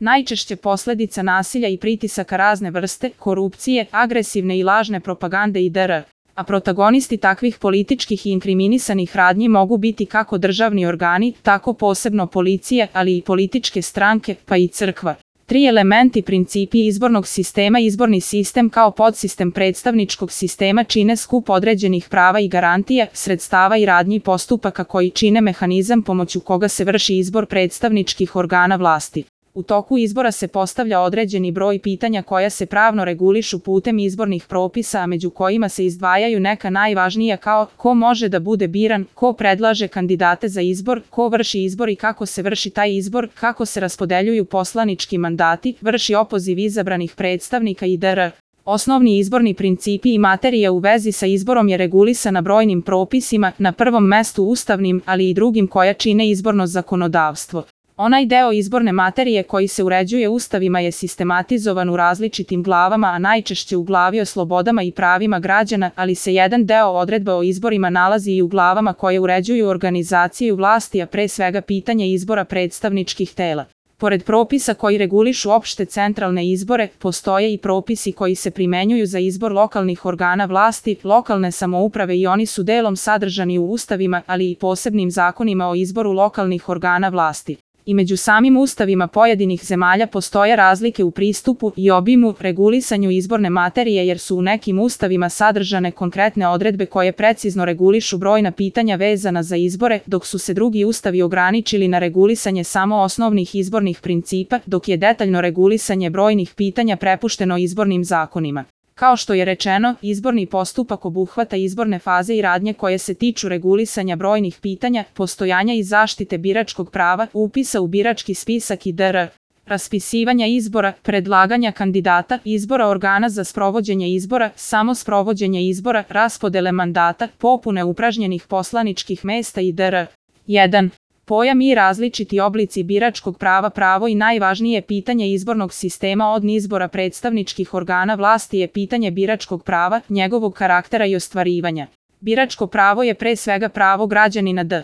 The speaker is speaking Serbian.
Najčešće posledica nasilja i pritisaka razne vrste, korupcije, agresivne i lažne propagande itd. A protagonisti takvih političkih i inkriminisanih radnji mogu biti kako državni organi, tako posebno policija, ali i političke stranke, pa i crkva. 3 elementi principi izbornog sistema. Izborni sistem kao podsistem predstavničkog sistema čine skup određenih prava i garantija, sredstava i radnji postupaka koji čine mehanizam pomoću koga se vrši izbor predstavničkih organa vlasti. U toku izbora se postavlja određeni broj pitanja koja se pravno regulišu putem izbornih propisa, a među kojima se izdvajaju neka najvažnija kao ko može da bude biran, ko predlaže kandidate za izbor, ko vrši izbor i kako se vrši taj izbor, kako se raspodeljuju poslanički mandati, vrši opoziv izabranih predstavnika itd. Osnovni izborni principi i materija u vezi sa izborom je regulisana brojnim propisima, na prvom mestu ustavnim, ali i drugim koja čine izborno zakonodavstvo. Onaj deo izborne materije koji se uređuje ustavima je sistematizovan u različitim glavama, a najčešće u glavi o slobodama i pravima građana, ali se jedan deo odredba o izborima nalazi i u glavama koje uređuju organizaciju vlasti, a pre svega pitanje izbora predstavničkih tela. Pored propisa koji regulišu opšte centralne izbore, postoje i propisi koji se primenjuju za izbor lokalnih organa vlasti, lokalne samouprave i oni su delom sadržani u ustavima, ali i posebnim zakonima o izboru lokalnih organa vlasti. I među samim ustavima pojedinih zemalja postoje razlike u pristupu i obimu regulisanju izborne materije jer su u nekim ustavima sadržane konkretne odredbe koje precizno regulišu brojna pitanja vezana za izbore, dok su se drugi ustavi ograničili na regulisanje samo osnovnih izbornih principa, dok je detaljno regulisanje brojnih pitanja prepušteno izbornim zakonima. Kao što je rečeno, izborni postupak obuhvata izborne faze i radnje koje se tiču regulisanja brojnih pitanja, postojanja i zaštite biračkog prava, upisa u birački spisak itd. Raspisivanja izbora, predlaganja kandidata, izbora organa za sprovođenje izbora, samo sprovođenje izbora, raspodele mandata, popune upražnjenih poslaničkih mesta itd. 1. Pojam i različiti oblici biračkog prava. Pravo i najvažnije pitanje izbornog sistema od izbora predstavničkih organa vlasti je pitanje biračkog prava, njegovog karaktera i ostvarivanja. Biračko pravo je pre svega pravo građanina da